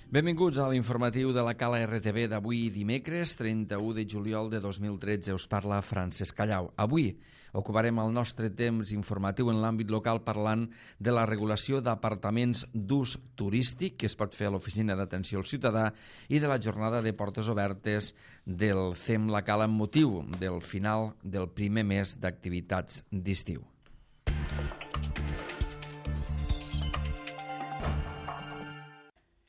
Benvinguts a l'informatiu de la Cala RTV d'avui dimecres, 31 de juliol de 2013. Us parla Francesc Callau. Avui ocuparem el nostre temps informatiu en l'àmbit local parlant de la regulació d'apartaments d'ús turístic que es pot fer a l'Oficina d'Atenció al Ciutadà i de la jornada de portes obertes del CEM La Cala amb motiu del final del primer mes d'activitats d'estiu.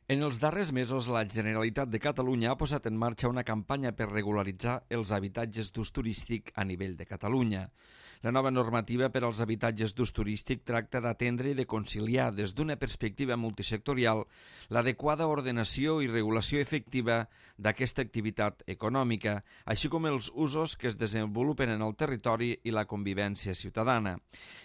En els darrers mesos, la Generalitat de Catalunya ha posat en marxa una campanya per regularitzar els habitatges d'ús turístic a nivell de Catalunya. La nova normativa per als habitatges d'ús turístic tracta d'atendre i de conciliar des d'una perspectiva multisectorial l'adequada ordenació i regulació efectiva d'aquesta activitat econòmica, així com els usos que es desenvolupen en el territori i la convivència ciutadana.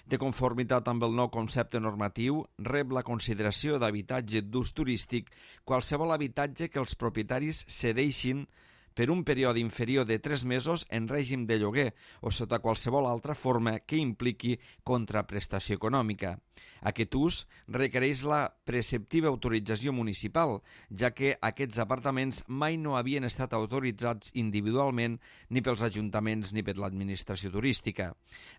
De conformitat amb el nou concepte normatiu, rep la consideració d'habitatge d'ús turístic qualsevol habitatge que els propietaris cedeixin per un període inferior de 3 mesos en règim de lloguer o sota qualsevol altra forma que impliqui contraprestació econòmica. Aquest ús requereix la preceptiva autorització municipal, ja que aquests apartaments mai no havien estat autoritzats individualment ni pels ajuntaments ni per l'administració turística.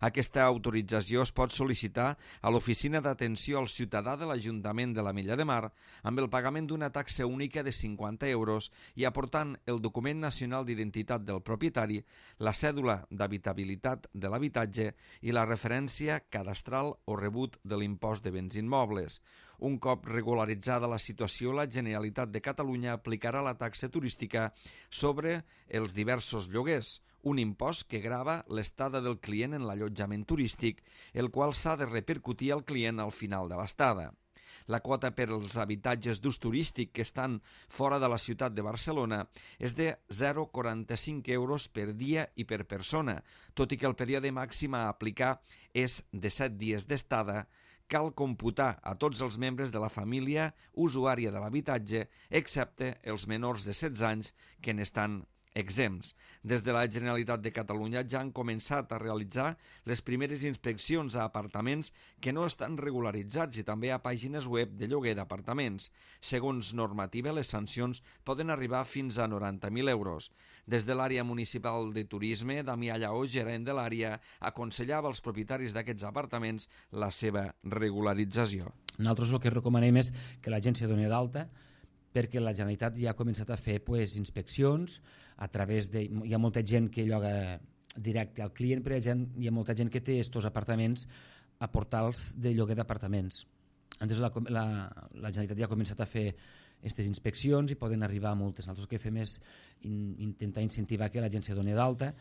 Aquesta autorització es pot sol·licitar a l'Oficina d'Atenció al Ciutadà de l'Ajuntament de l'Ametlla de Mar amb el pagament d'una taxa única de 50 euros i aportant el document nacional d'identitat del propietari, la cèdula d'habitabilitat de l'habitatge i la referència cadastral o rebut de l'impost de béns immobles. Un cop regularitzada la situació, la Generalitat de Catalunya aplicarà la taxa turística sobre els diversos lloguers, un impost que grava l'estada del client en l'allotjament turístic, el qual s'ha de repercutir al client al final de l'estada. La quota per als habitatges d'ús turístic que estan fora de la ciutat de Barcelona és de 0,45 euros per dia i per persona, tot i que el període màxim a aplicar és de 7 dies d'estada. Cal computar a tots els membres de la família usuària de l'habitatge, excepte els menors de 16 anys que n'estan exempts. Des de la Generalitat de Catalunya ja han començat a realitzar les primeres inspeccions a apartaments que no estan regularitzats i també a pàgines web de lloguer d'apartaments. Segons normativa, les sancions poden arribar fins a 90.000 euros. Des de l'àrea municipal de turisme, Damià Lleó, gerent de l'àrea, aconsellava als propietaris d'aquests apartaments la seva regularització. Nosaltres el que recomanem és que l'agència doni d'alta, perquè la Generalitat ja ha començat a fer inspeccions a través de... Hi ha molta gent que lloga directe al client, però hi ha molta gent que té estos apartaments a portals de lloguer d'apartaments. Entonces la Generalitat ja ha començat a fer aquestes inspeccions i poden arribar a multes. Nosaltres el que fem és intentar incentivar que l'agència doni d'alta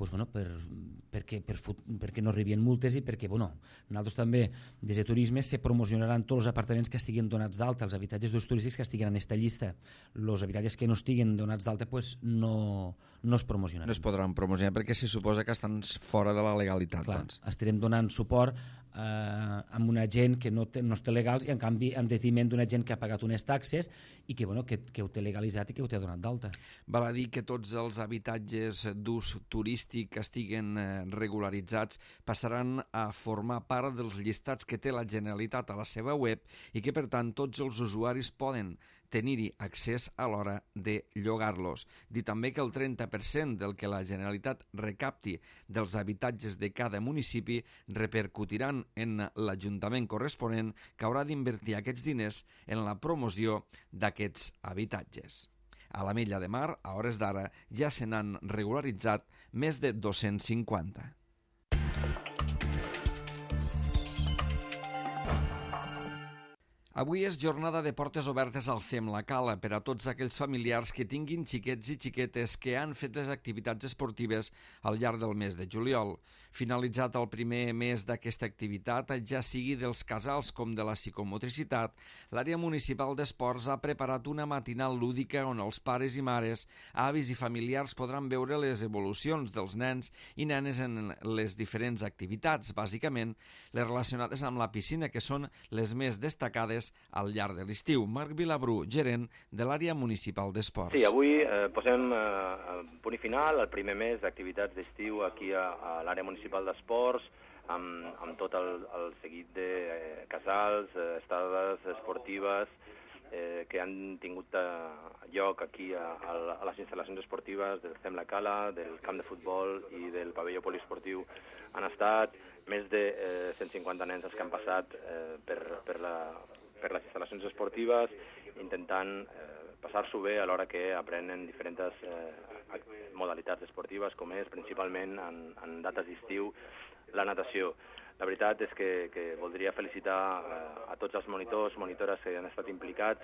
perquè no arribin multes i perquè nosaltres també des de turisme se promocionaran tots els apartaments que estiguin donats d'alta, els habitatges d'ús turístics que estiguin en aquesta llista. Els habitatges que no estiguin donats d'alta no es promocionaran. No es podran promocionar perquè se suposa que estan fora de la legalitat. Clar, estarem donant suport a una gent que no està legals i en canvi en detriment d'una gent que ha pagat unes taxes i que ho té legalitzat i que ho té donat d'alta. Val a dir que tots els habitatges d'ús turístic que estiguen regularitzats passaran a formar part dels llistats que té la Generalitat a la seva web i que, per tant, tots els usuaris poden tenir-hi accés a l'hora de llogar-los. Dir també que el 30% del que la Generalitat recapti dels habitatges de cada municipi repercutiran en l'Ajuntament corresponent, que haurà d'invertir aquests diners en la promoció d'aquests habitatges. A l'Ametlla de Mar, a hores d'ara, ja se n'han regularitzat més de 250. Avui és jornada de portes obertes al CEM La Cala per a tots aquells familiars que tinguin xiquets i xiquetes que han fet les activitats esportives al llarg del mes de juliol. Finalitzat el primer mes d'aquesta activitat, ja sigui dels casals com de la psicomotricitat, l'àrea municipal d'esports ha preparat una matinal lúdica on els pares i mares, avis i familiars podran veure les evolucions dels nens i nenes en les diferents activitats, bàsicament les relacionades amb la piscina, que són les més destacades al llarg de l'estiu. Marc Vilabrú, gerent de l'àrea municipal d'esports. Sí, avui posem punt i final al primer mes d'activitats d'estiu aquí a l'àrea municipal d'esports, amb tot el seguit de casals, estades esportives, que han tingut lloc aquí a les instal·lacions esportives del CEM La Cala, del camp de futbol i del pavelló poliesportiu. Han estat més de 150 nens els que han passat per les instal·lacions esportives, intentant passar-s'ho bé alhora que aprenen diferents modalitats esportives, com és principalment en dates d'estiu la natació. La veritat és que voldria felicitar a tots els monitors, monitores que han estat implicats,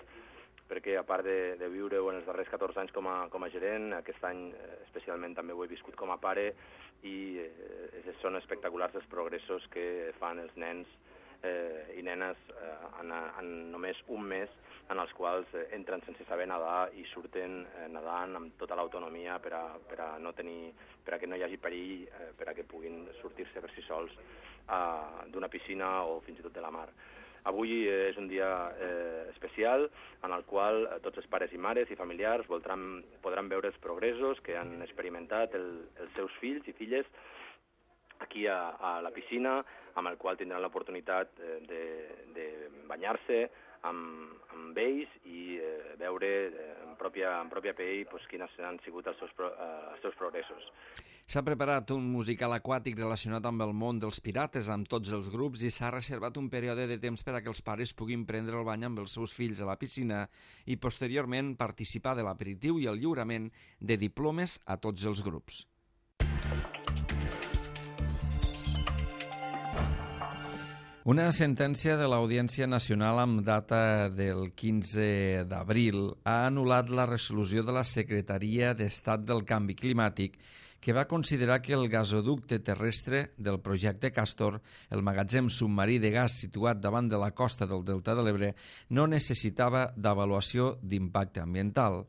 perquè a part de viure-ho en els darrers 14 anys com a gerent, aquest any especialment també ho he viscut com a pare, i són espectaculars els progressos que fan els nens i nenes en només un mes, en els quals entren sense saber nedar i surten nedant amb tota l'autonomia per a que no hi hagi perill, per a que puguin sortir-se per si sols d'una piscina o fins i tot de la mar. Avui és un dia especial en el qual tots els pares i mares i familiars podran veure els progressos que han experimentat els seus fills i filles aquí a la piscina, amb el qual tindran l'oportunitat de banyar-se amb ells i veure en pròpia pell quins han sigut els seus progressos. S'ha preparat un musical aquàtic relacionat amb el món dels pirates amb tots els grups i s'ha reservat un període de temps per a que els pares puguin prendre el bany amb els seus fills a la piscina i posteriorment participar de l'aperitiu i el lliurament de diplomes a tots els grups. Una sentència de l'Audiència Nacional amb data del 15 d'abril ha anul·lat la resolució de la Secretaria d'Estat del Canvi Climàtic que va considerar que el gasoducte terrestre del projecte Castor, el magatzem submarí de gas situat davant de la costa del Delta de l'Ebre, no necessitava d'avaluació d'impacte ambiental.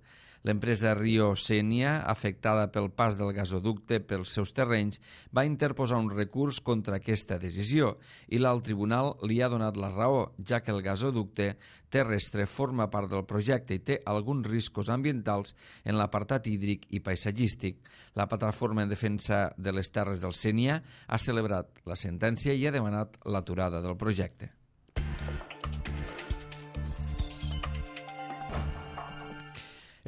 L'empresa Rio Sénia, afectada pel pas del gasoducte pels seus terrenys, va interposar un recurs contra aquesta decisió i l'alt tribunal li ha donat la raó, ja que el gasoducte terrestre forma part del projecte i té alguns riscos ambientals en l'apartat hídric i paisatgístic. La plataforma en defensa de les terres del Sénia ha celebrat la sentència i ha demanat l'aturada del projecte.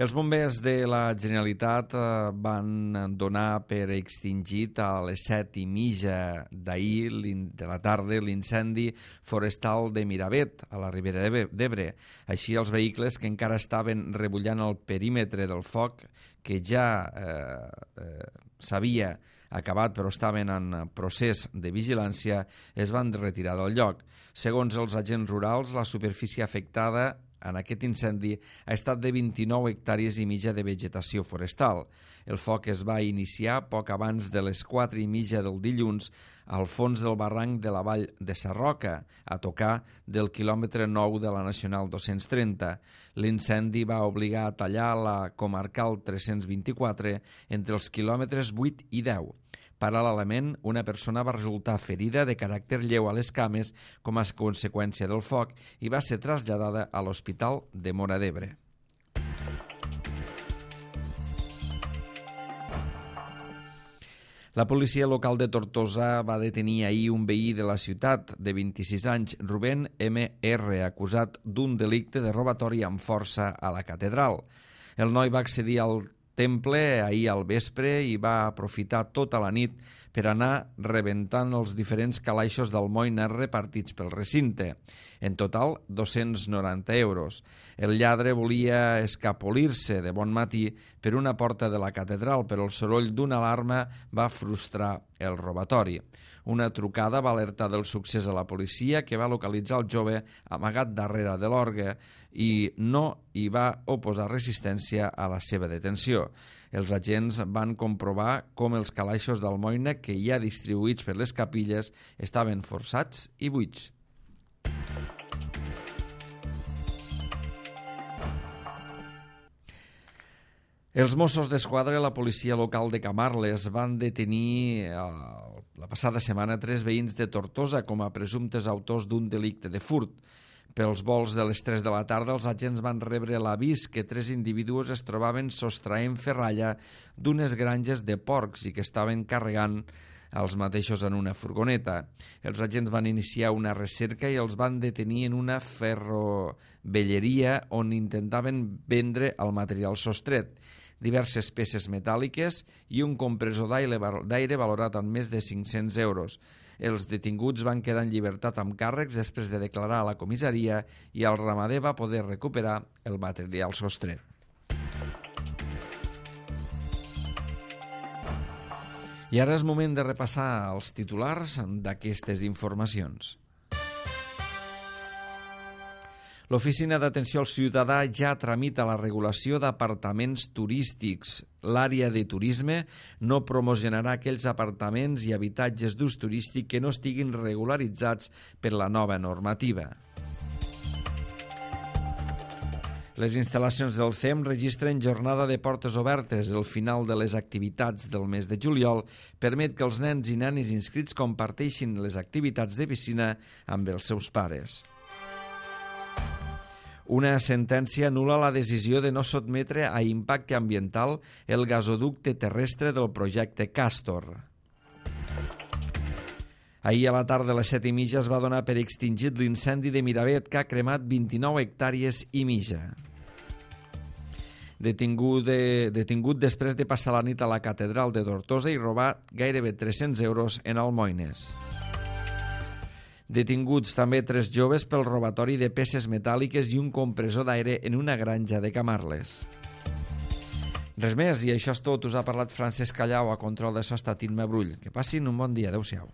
Els bombers de la Generalitat van donar per extingit a les 7:30 d'ahir de la tarda l'incendi forestal de Miravet, a la Ribera d'Ebre. Així, els vehicles que encara estaven rebullant el perímetre del foc, que ja s'havia acabat però estaven en procés de vigilància, es van retirar del lloc. Segons els agents rurals, la superfície afectada en aquest incendi ha estat de 29 hectàrees i mitja de vegetació forestal. El foc es va iniciar poc abans de les 4:30 del dilluns al fons del barranc de la vall de Sarroca, a tocar del quilòmetre 9 de la Nacional 230. L'incendi va obligar a tallar la comarcal 324 entre els quilòmetres 8 i 10. Paral·lelament, una persona va resultar ferida de caràcter lleu a les cames com a conseqüència del foc i va ser traslladada a l'Hospital de Móra d'Ebre. La policia local de Tortosa va detenir ahir un veí de la ciutat de 26 anys, Rubén M.R., acusat d'un delicte de robatori amb força a la catedral. El noi va accedir al temple ahir al vespre i va aprofitar tota la nit per anar rebentant els diferents calaixos d'almoina repartits pel recinte. En total, 290 euros. El lladre volia escapolir-se de bon matí per una porta de la catedral, però el soroll d'una alarma va frustrar el robatori. Una trucada va alertar del succés a la policia, que va localitzar el jove amagat darrere de l'orgue i no hi va oposar resistència a la seva detenció. Els agents van comprovar com els calaixos d'almoina que hi ha distribuïts per les capilles estaven forçats i buits. Els Mossos d'Esquadra i la policia local de Camarles van detenir la passada setmana 3 veïns de Tortosa com a presumptes autors d'un delicte de furt. Pels vols de les 3 de la tarda, els agents van rebre l'avís que 3 individus es trobaven sostraent ferralla d'unes granges de porcs i que estaven carregant els mateixos en una furgoneta. Els agents van iniciar una recerca i els van detenir en una ferrovelleria on intentaven vendre el material sostret, diverses peces metàl·liques i un compressor d'aire valorat en més de 500 euros. Els detinguts van quedar en llibertat amb càrrecs després de declarar a la comissaria i el ramader va poder recuperar el material sostret. I ara és moment de repassar els titulars d'aquestes informacions. L'Oficina d'Atenció al Ciutadà ja tramita la regulació d'apartaments turístics. L'àrea de turisme no promocionarà aquells apartaments i habitatges d'ús turístic que no estiguin regularitzats per la nova normativa. Les instal·lacions del CEM registren jornada de portes obertes. El final de les activitats del mes de juliol permet que els nens i nenes inscrits comparteixin les activitats de piscina amb els seus pares. Una sentència anul·la la decisió de no sotmetre a impacte ambiental el gasoducte terrestre del projecte Castor. Ahir a la tarda a les 7:30 es va donar per extingit l'incendi de Miravet que ha cremat 29 hectàrees i mitja. Detingut després de passar la nit a la catedral de Tortosa i robar gairebé 300 euros en almoines. Detinguts també 3 joves pel robatori de peces metàl·liques i un compressor d'aire en una granja de Camarles. Res més, i això és tot. Us ha parlat Francesc Callau, a control de so ha estat Imma Brull. Que passin un bon dia. Adéu-siau.